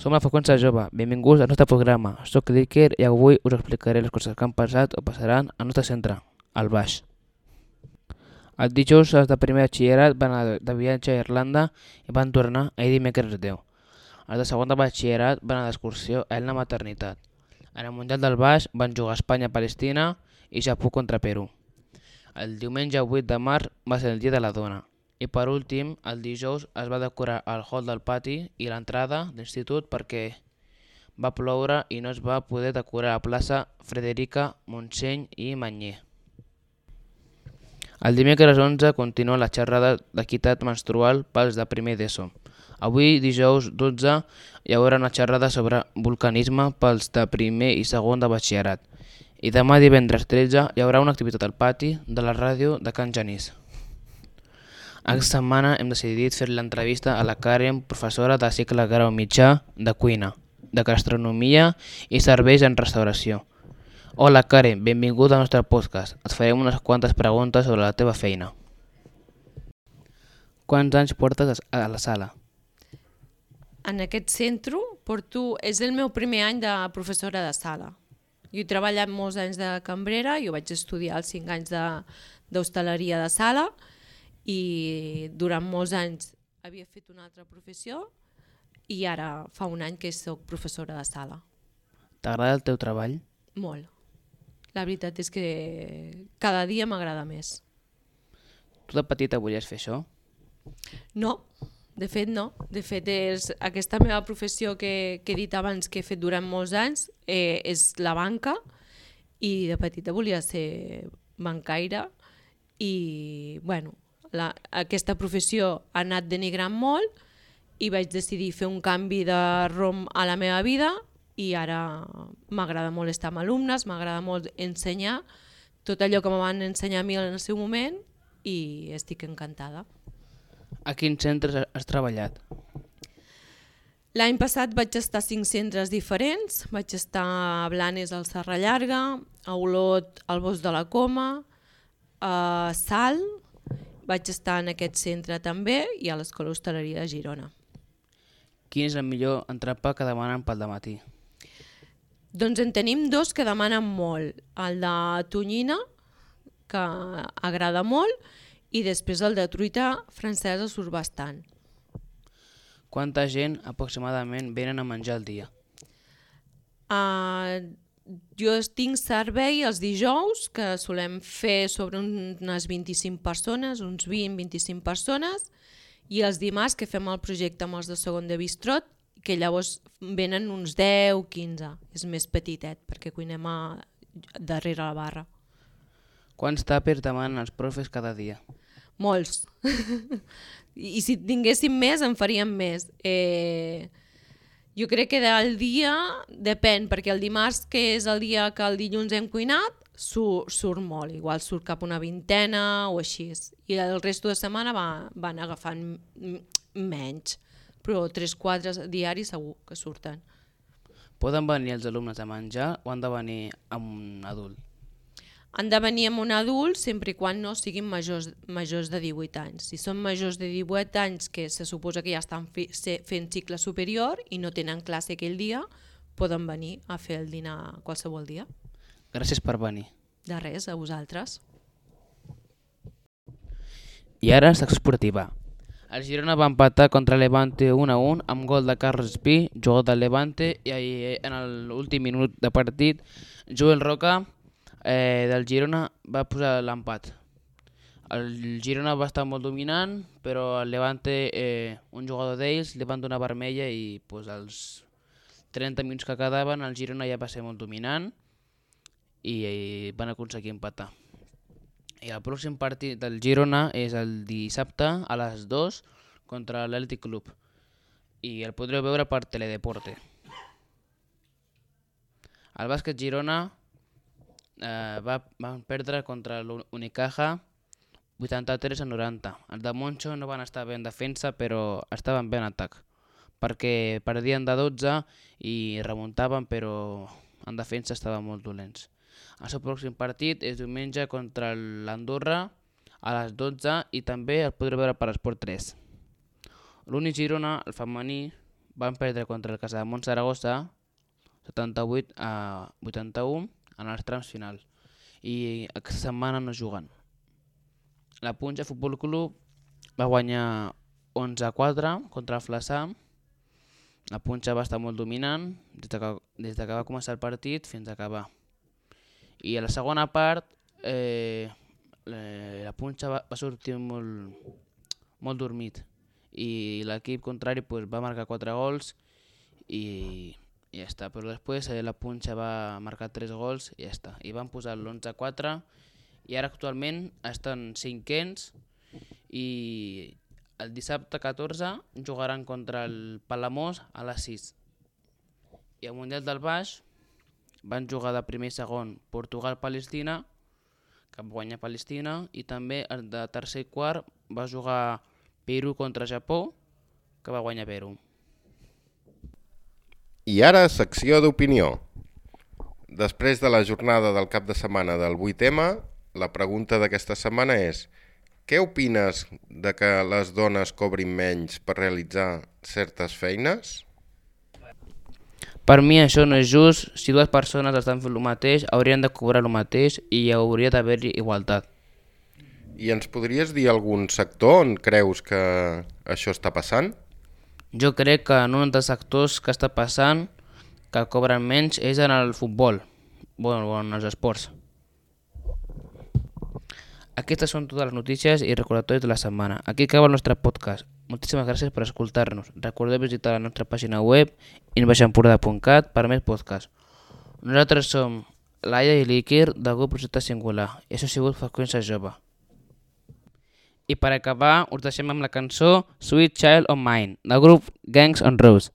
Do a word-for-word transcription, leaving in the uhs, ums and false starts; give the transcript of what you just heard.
Som la Freqüència Jove, benvinguts al nostre programa. Soc l'Iker i avui us explicaré les coses que han passat o passaran al nostre centre, al Baix. El dijous els de primer batxillerat van anar de viatge a Irlanda i van tornar ahir dimecres deu. Els de segon de batxillerat van anar d'excursió a la maternitat. En el Mundial del Baix van jugar Espanya-Palestina i Japó contra Perú. El diumenge vuit de març va ser el dia de la dona. I per últim, el dijous es va decorar el hall del pati i l'entrada de l'institut perquè va ploure i no es va poder decorar la plaça Frederica Montseny i Manyer. El dimecres onze continua la xerrada d'equitat menstrual pels de primer d'ESO. Avui, dijous dotze, hi haurà una xerrada sobre vulcanisme pels de primer i segon de batxillerat. I demà, divendres tretze, hi haurà una activitat al pati de la ràdio de Can Genís. Aquesta setmana hem decidit fer l'entrevista a la Karen, professora de cicle grau mitjà de cuina, de gastronomia i serveis en restauració. Hola Karen, benvinguda al nostre podcast. Et farem unes quantes preguntes sobre la teva feina. Quants anys portes a la sala? En aquest centre porto, és el meu primer any de professora de sala. Jo he treballat molts anys de cambrera, jo vaig estudiar els cinc anys d'hostaleria de, de sala i durant molts anys havia fet una altra professió i ara fa un any que soc professora de sala. T'agrada el teu treball? Molt. La veritat és que cada dia m'agrada més. Tu de petita volies fer això? No, de fet no. De fet, és aquesta meva professió que, que he dit abans que he fet durant molts anys eh, és la banca i de petita volia ser bancaire i, bueno, la, aquesta professió ha anat denigrant molt i vaig decidir fer un canvi de rumb a la meva vida i ara m'agrada molt estar amb alumnes, m'agrada molt ensenyar tot allò que me van ensenyar a mi en el seu moment i estic encantada. A quins centres has treballat? L'any passat vaig estar a cinc centres diferents, vaig estar a Blanes al Serra Llarga, a Olot al Bosc de la Coma, a Salt, vaig estar en aquest centre també i a l'Escola Hostaleria de Girona. Quin és el millor entrepà que demanen pel dematí? Doncs en tenim dos que demanen molt, el de tonyina, que agrada molt, i després el de truita francesa surt bastant. Quanta gent aproximadament venen a menjar al dia? Uh, jo tinc servei els dijous, que solem fer sobre unes vint-i-cinc persones, uns vint a vint-i-cinc persones, i els dimarts que fem el projecte amb els de segon de bistrot, que llavors venen uns deu a quinze, és més petitet, perquè cuinem a, darrere la barra. Quants tàpers demanen els profes cada dia? Molts. I si tinguéssim més, en faríem més. Eh, jo crec que del dia depèn, perquè el dimarts, que és el dia que el dilluns hem cuinat, surt, surt molt, igual surt cap una vintena o així. I el resto de setmana va, van agafant menys, però tres o quatre diaris segur que surten. Poden venir els alumnes a menjar o han de venir amb un adult? Han de venir amb un adult sempre i quan no siguin majors, majors de divuit anys. Si són majors de divuit anys, que se suposa que ja estan fi, se, fent cicle superior i no tenen classe aquell dia, poden venir a fer el dinar qualsevol dia. Gràcies per venir. De res, a vosaltres. I ara secció esportiva. El Girona va empatar contra el Levante un a un amb gol de Carles Pi, jugador del Levante, i en l'últim minut de partit Joel Roca Eh, del Girona va posar l'empat. El Girona va estar molt dominant, però el Levante, eh, un jugador d'ells, li van donar vermella i pues, als trenta minuts que quedaven el Girona ja va ser molt dominant i, i van aconseguir empatar. I el pròxim partit del Girona és el dissabte a les dues contra l'Athletic Club i el podreu veure per Teledeporte. El bàsquet Girona Uh, va, van perdre contra l'Unicaja vuitanta-tres a noranta. Els de Moncho no van estar bé en defensa, però estaven bé en atac, perquè perdien de dotze i remuntaven, però en defensa estaven molt dolents. El seu pròxim partit és diumenge contra l'Andorra a les dotze i també el podreu veure per Esport tres. L'Uni Girona, el femení, van perdre contra el Casademont Saragossa setanta-vuit a vuitanta-u en els trams finals i aquesta setmana no juguen. La Punxa Futbol Club va guanyar onze a quatre contra el Flaçà. La Punxa va estar molt dominant des de que, des de que va començar el partit fins a acabar. I a la segona part eh, la, la Punxa va, va sortir molt, molt dormit i l'equip contrari pues, va marcar quatre gols i, i ja està. Però després eh, la Punxa va marcar tres gols i ja està. I van posar l'onze a quatre i ara actualment estan cinquens i el dissabte catorze jugaran contra el Palamós a les sis. I al Mundial del Baix van jugar de primer i segon Portugal-Palestina, que va guanyar Palestina, i també el de tercer i quart va jugar Perú contra Japó, que va guanyar Perú. I ara, secció d'opinió. Després de la jornada del cap de setmana del vuit ema, la pregunta d'aquesta setmana és: què opines de que les dones cobrin menys per realitzar certes feines? Per mi això no és just. Si dues persones estan fent el mateix, haurien de cobrar el mateix i hi hauria d'haver-hi igualtat. I ens podries dir algun sector on creus que això està passant? Jo crec que en un dels sectors que està passant que cobren menys és en el futbol, bueno, en els esports. Aquestes són totes les notícies i recordatoris de la setmana. Aquí acaba el nostre podcast. Moltíssimes gràcies per escoltar-nos. Recordeu visitar la nostra pàgina web inbaixaempordà punt cat per més podcasts. Nosaltres som Laia i l'Iker del grup Projecte Singular i això ha sigut Freqüència Jove. I per acabar us deixem amb la cançó Sweet Child of Mine del grup Gangs on Roses.